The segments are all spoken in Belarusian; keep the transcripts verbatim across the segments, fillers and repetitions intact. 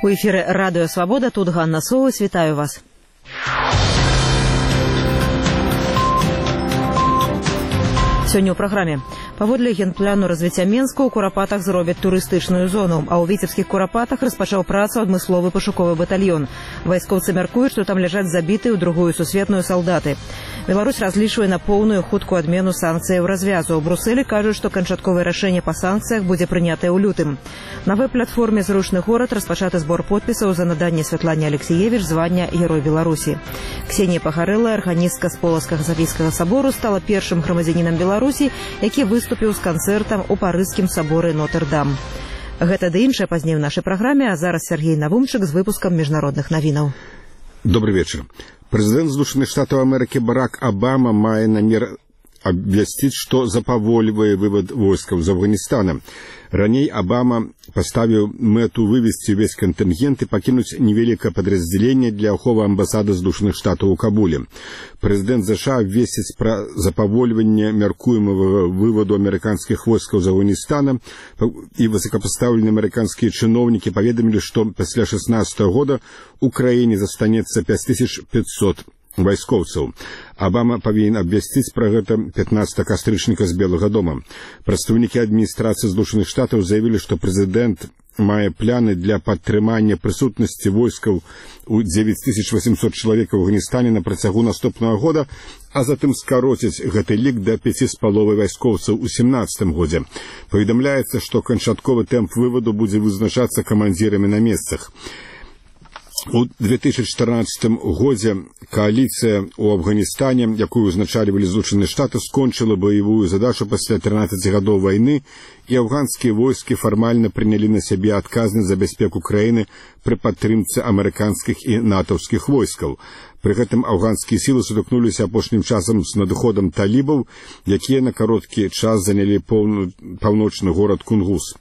У эфіры Радыё Свабода, тут Ганна Соус, вітаю вас. Сёння ў праграме. Паводле генпляну развіцця Менска ў Курапатах зробяць турыстычную зону, а ў Віцебскіх Курапатах распачаў працу адмысловы пашуковы батальён. Вайскоўцы мяркуюць, што там ляжаць забітыя ў другую сусветную салдаты. Беларусь разлічвае на поўную хуткую адмену санкцыяў развязу. У Брусэлі кажуць, што канчатковае рашэнне па санкцыях будзе прынятае ў лютым. На веб-платформе «Зручны горад» распачаты збор подпісаў за наданне Святлане Алексеевич звання Герой Беларусі. Ксенія Пагарэлла, арганістка з Полацкага Сафійскага сабору, стала першым грамадзянінам Беларусі, які выступіў з канцэртам у парыжскім саборы Нотр-Дам. Гэта ды іншае пазней у нашай праграме, а зараз Сергей Навумчык з выпускам міжнародных навінаў. Добрый вечер. Президент Злучаных Штатов Америки Барак Обама мае намер обвясціць, што запавольвае вывод войскаў з Афганістана. Раней Обама поставіў мэту вывесці ўвесь кантынгент і пакінуць невялікае падраздзяленне для аховы амбасады Злучаных Штатаў у Кабуле. Прэзідэнт ЗША абвесціць пра запавольванне мяркуемага выводу амерыканскіх войскаў з Афганістана, і высокапастаўленыя амерыканскія чыноўнікі паведамілі, што пасля шэснаццатага года ў краіне застанецца пяць тысяч пятьсот вайскоўцаў. Обама павінен абвясціць пра гэта пятнаццатага кастрычніка з Белага дома. Прадстаўнікі адміністрацыі Злучаных Штатаў заявілі, што прэзідэнт мае планы для падтрымання прысутнасці войскаў у дзевяць тысяч восемьсот чалавек у Афганістане на працягу наступнага года, а затым скароціць гэты лік да пяці з паловай вайскоўцаў у сямнаццатым годзе. Паведамляецца, што канчатковы тэмп вываду будзе вызначацца камандзірамі на месцах. У две тысячи чатырнаццатым годзе коаліцыя ў Афганістане, якую узначальвалі Злучаныя Штаты, скончыла баявую задачу пасля трынаццаці гадоў вайны, і афганскія войскі фармальна прынялі на сябе адказнасць за бяспеку краіны пры падтрымцы амерыканскіх і натаўскіх войскаў. Пры гэтым афганскія сілы сутыкнуліся апошнім часам з надыходам талібаў, якія на кароткі час занялі паўночны горад Кунгус.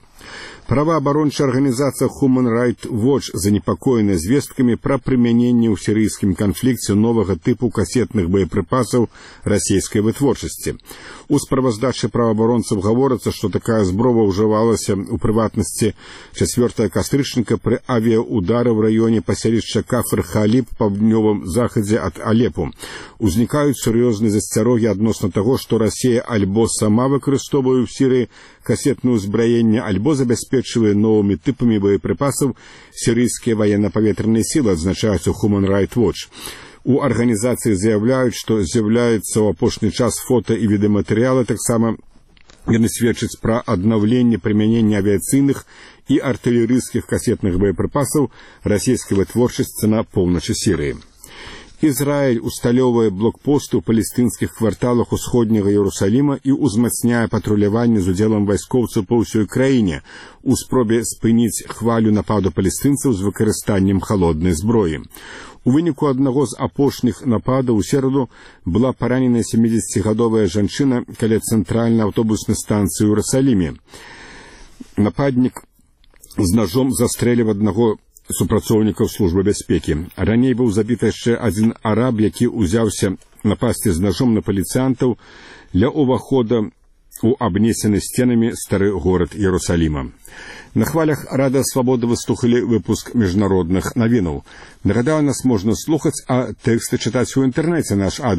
Праваабарончая арганізацыя Human Rights Watch занепакоена звесткамі пра прымяненне ў сірыйскім канфлікце новага тыпу касетных боепрыпасаў расійскай вытворчасці. У справаздачы праваабаронцаў гаворыцца, што такая зброя ўжывалася ў прыватнасці чацвёртага кастрычніка пры авіяудары ў раёне паселішча Кафр-Халіб па паўднёвым захадзе ад Алепу. Узнікаюць сур'ёзныя засцярогі адносна таго, што Расія альбо сама выкарыстоўвае ў Сірыі касетное ўзбраенне, альбо забяспечвае новымі тыпамі боепрыпасаў сірыйскія военно-паветраныя сілы, адзначаюць у Human Rights Watch. У арганізацыі заяўляюць, што з'яўляецца ў апошні час фота і відэаматэрыялы, таксама яны сведчаць пра аднаўленне прымянення авіяцыйных і артылерыйскіх касетных боепрыпасаў расійскай вытворчасці на поўначы Сірыі. Ізраіль усталёўвае блокпосты ў палестынскіх кварталах усходняга Іерусаліма і ўзмацняе патруляванне з удзелам вайскоўцаў па ўсёй краіне у спробе спыніць хвалю нападу палестынцаў з выкарыстаннем халоднай зброі. У выніку аднаго з апошніх нападаў у сераду была параненая сямідзесяцігадовая жанчына каля цэнтральнай аўтобуснай станцыі ў Іерусаліме. Нападнік з нажом застрэліў аднаго супрацоўнікаў службы бяспекі. Раней быў забіты яшчэ адзін араб, які ўзяўся напасці з нажом на паліцыянтаў ля ўвахода у абнесены сценамі стары горад Іерусаліма. На хвалях Радыё Свабода выслухалі выпуск міжнародных навінаў. Нагадаю, нас можна слухаць, а тэксты чытаць у інтэрнэце. Наш адрес